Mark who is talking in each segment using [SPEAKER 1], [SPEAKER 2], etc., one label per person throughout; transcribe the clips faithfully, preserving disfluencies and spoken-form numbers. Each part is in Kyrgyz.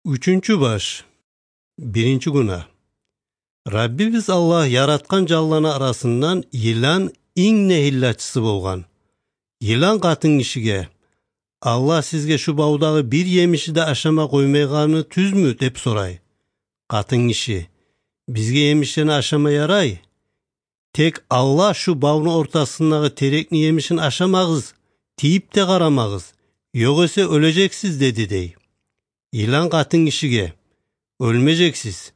[SPEAKER 1] Үчүнчү баш. Биринчи гуна. Раббибиз Аллах яраткан жалланы арасынан йылан иң нехиллачысы болгон. Йылан катын кишиге: "Аллах сизге шу баудагы бир емиши да ашама коймойганы түзмү?" деп сурай. Катын киши: "Бизге емиштени ашамай ярай. Тек Аллах шу баунун ортосундагы терекни емишин ашамагыз, тийип де карамагыз, жокесе өлөжексиз" деди дей. Йылан катын кишиге: "Өлмөжексиз.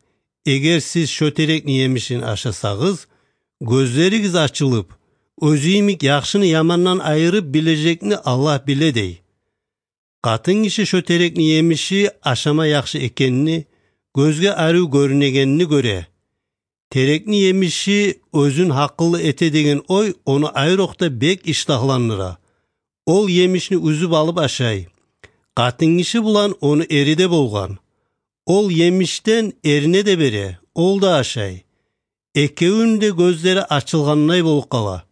[SPEAKER 1] Эгер сиз шо терекни емишин ашасагыз, көздөрүңүз ачылып, өзүмик жакшыны ямандан айырып билежекни Аллах биле" дей. Катын киши шо терекни емиши ашама жакшы экенини, көзгө аруу көрүнөгөнүнү көрө. Терекни емиши өзүн акыллы эте деген ой ону айрокто бек иштахландыра. Ол емишни үзүп алып ашай. Катын киши булан ону эриде болгон. Ол емиштен эрине де бере, ол да ашай. Экөөүнүн де көздөрү ачылгандай болуп кала.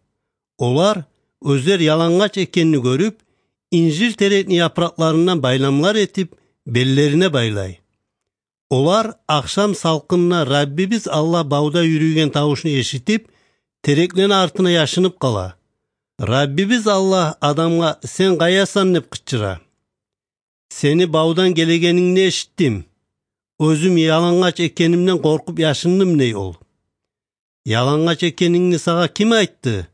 [SPEAKER 1] Олар өздөр ялаңач экенин көрүп, инжир терекни япракларынан байламлар этип, беллерине байлай. Олар акшам салкынына Раббибиз Аллах бауда үрүйгөн табышын эшитип, терекленин артына яшынып кала. Раббибиз Аллах адамга: "Сен каясан?" деп кычыра. "Сени баудан келегениңди эшиттим. Өзүм ялаңач экенимден коркуп яшындым" дей ол. "Ялаңач экениңди сага ким айтты?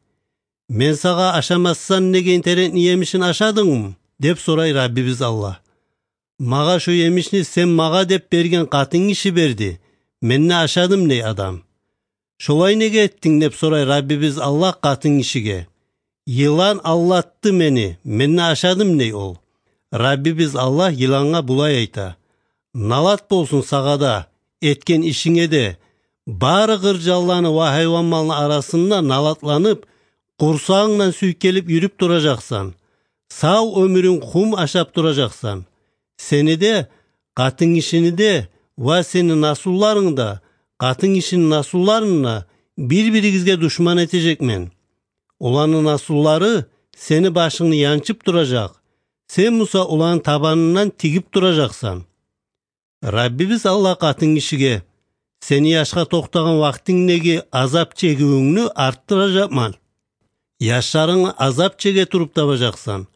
[SPEAKER 1] Мен сага ашамастан деген терекни емишин ашадыңбы?" деп сурай Раббибиз Аллах. "Мага шу емишни сен мага деп берген катын киши берди. Мен не ашадым" дей адам. "Шолай неге эттиң?" деп сурай Раббибиз Аллах катын кишиге. "Йылан аллатты мени, мен не ашадым" дей ол. Раббибиз Аллах йыланга булай айта: "Налат болсун сага да, эткен ишиңе де. Баары кыр жалланы ва хайван малынын арасында налатланып, курсагыңдан сүйкелип жүрүп туражаксан. Сау өмүрүң хум ашап туражаксан. Сени де, катын кишини де ва сенин насулларың да, катын кишинин насулларына бири-биригизге душман этежекмен. Улардын насуллары сени башыңды янчып туражак. Сен муса улардын табанынан тигип туражаксан." Раббибиз Аллах катын кишиге: "Сени жашка токтогон вактиңдеги азап чегүүңнү арттыражакман. Жаштарың азап чеге туруп табажаксан.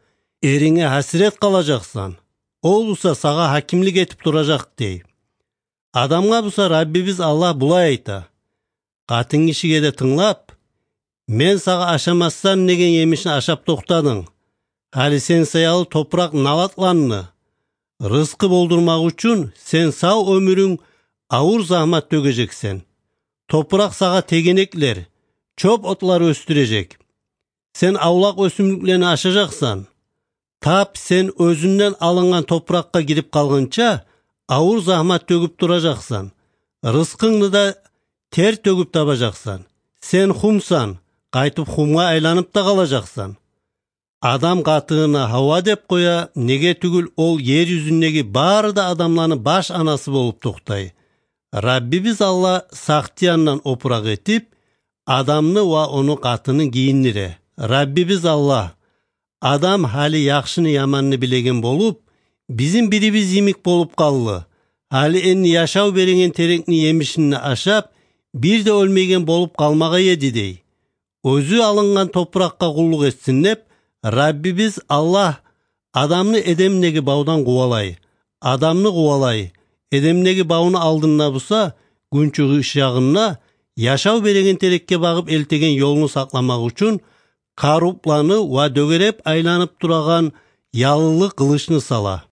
[SPEAKER 1] Эриңе хасирет калажаксан. Ол буса сага хакимлик этип туражак" дей. Адамга буса Раббибиз Аллах булай айта: "Катын кишиге де тыңлап, мен сага ашамастан деген емишин ашап токтадың. Али сен сыялы топурак налатланны. Рызкы болдурмак үчүн сен сау өмүрүң ауыр захмат төгөжексен. Топурак сага тегенеклер, чоп отлар өстүрөжек. Сен аулак өсүмдүклөрүнү ашажаксан. Тап сен өзүндөн алынган топуракка кирип калгынча ауыр захмат төгүп туражаксан. Рызкыңды да тер төгүп табажаксан. Сен хумсан, кайтып хумга айланып да калажаксан." Адам катыына Хава деп коя, неге түгүл ол жер жүзүндөгү баары да адамлардын баш анасы болуп токтой. Раббибиз Аллах сактыяндан опурак этип, адамны ва ону катынын кийиндире. Раббибиз Аллах: "Адам хали жакшыны яманны билеген болуп, биздин бирибиз имик болуп каллы. Хали энди жашоо берген терекни емишин ашап, бир да өлмөйгөн болуп калмак эди" дей. Өзү алынган топуракка кулдук этсин деп, Раббибиз Аллах адамны Эдемдеги баудан кубалай. Адамны кубалай. Эдемдеги бауну алдында буса, күн чыгыш жагына жашоо берген терекке багып элтеген жолуну сакламак үчүн карупланы ва дөгөрөп айланып тураган ялылык кылычны сала.